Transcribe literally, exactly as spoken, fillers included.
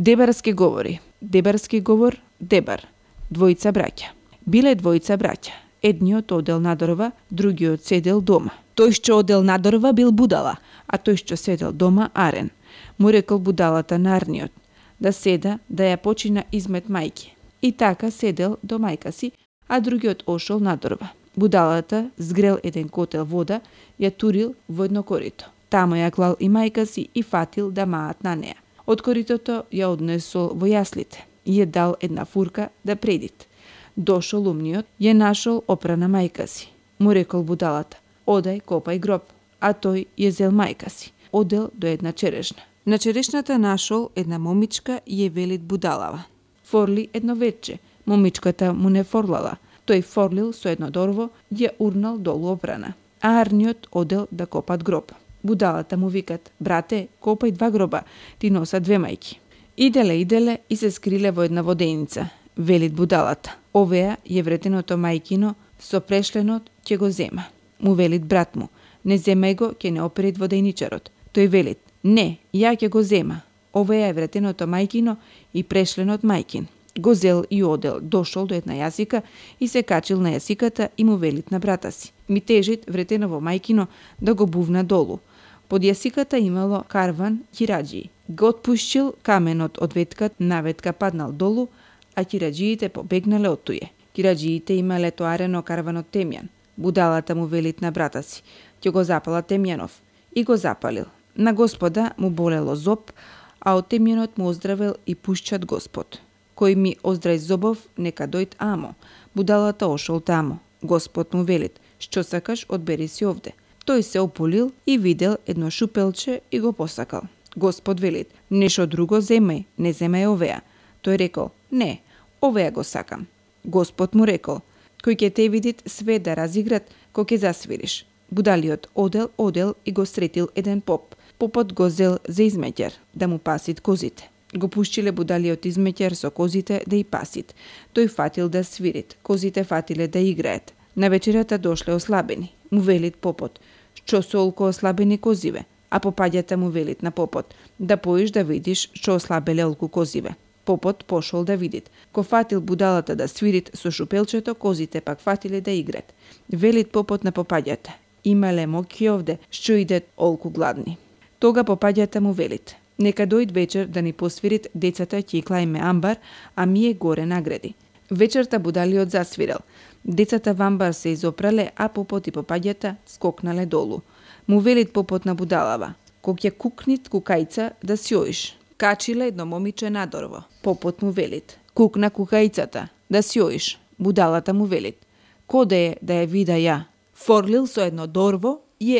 Дебарски говори. Дебарски говор, дебар. Двојца браќа. Биле двојца браќа. Едниот одел надорва, другиот седел дома. Тој што одел надорва бил будала, а тој што седел дома арен. Му рекол будалата на арниот да седа да ја почина измет мајки. И така седел до мајка си, а другиот ошол надорва. Будалата згрел еден котел вода, ја турил во едно корито. Тамо ја клал и мајка си и фатил да маат на неа. Од коритото ја однесол во јаслите и ја дал една фурка да предит. Дошол умниот, ја нашол опрана мајка си. Му рекол будалата: одај копај гроб, а тој ја зел мајка си. Одел до една черешна. На черешната нашол една момичка и ја велит будалава: форли едно вече. Момичката му не форлала. Тој форлил со едно дорво, ја урнал долу опрана. А арниот одел да копат гроб. Будалата му викат: брате, копај два гроба, ти носа две мајки. Иделе, иделе и се скриле во една воденица. Велит будалата: овеа е вретеното мајкино, со прешленот ќе го зема. Му велит брат му: не земај го, ќе не оперит воденичарот. Тој велит: не, ја ќе го зема. Овеа е вретеното мајкино и прешленот мајкин. Го зел и одел, дошол до една јасика и се качил на јасиката и му велит на брата си: ми тежит вретеново мајкино да го бувна долу. Под јасиката имало карван ќираџии. Го отпушчил каменот од ветката, наветка паднал долу, а ќираџиите побегнале од туе. Ќираџиите имале тоарено карванот темјан. Будалата му велит на брата си: ќе го запала темјанов. И го запалил. На Господа му болело зоб, а од темјанот му оздравел и пушчат Господ. Кој ми оздрај зобов, нека дојд амо. Будалата ошол тамо. Господ му велит: што сакаш, одбери си овде. Тој се ополил и видел едно шупелче и го посакал. Господ велит: нешто друго земај, не земај овеа. Тој рекол: не, овеа го сакам. Господ му рекол: кој ќе те видит све да разиграт, кој ќе засвириш. Будалиот одел, одел и го сретил еден поп. Попот го зел за измеќар, да му пасит козите. Го пушчиле будалиот измеќар со козите да и пасит. Тој фатил да свирит, козите фатиле да играат. На вечерата дошле ослабени. Му велит попот: што со олко ослабени козиве? А попаѓата му велит на попот: да поиш да видиш што ослабеле олку козиве. Попот пошол да видит. Ко фатил будалата да свирит со шупелчето, козите пак фатиле да играт. Велит попот на попаѓата: имале моки овде, што идат олку гладни. Тога попаѓата му велит: нека дојд вечер да ни посвирит, децата ќе клајме амбар, а мие горе награди. Вечерта будалиот засвирал. Децата во амбар се изопрале, а попот и попаѓата скокнале долу. Му велит попот на будалава: кога ќе кукнит кукајца да си оиш. Качиле едно момиче надорво. Попот му велит: кукна кукајцата да си оиш. Будалата му велит: коде е да ја вида ја? Форлил со едно дорво и е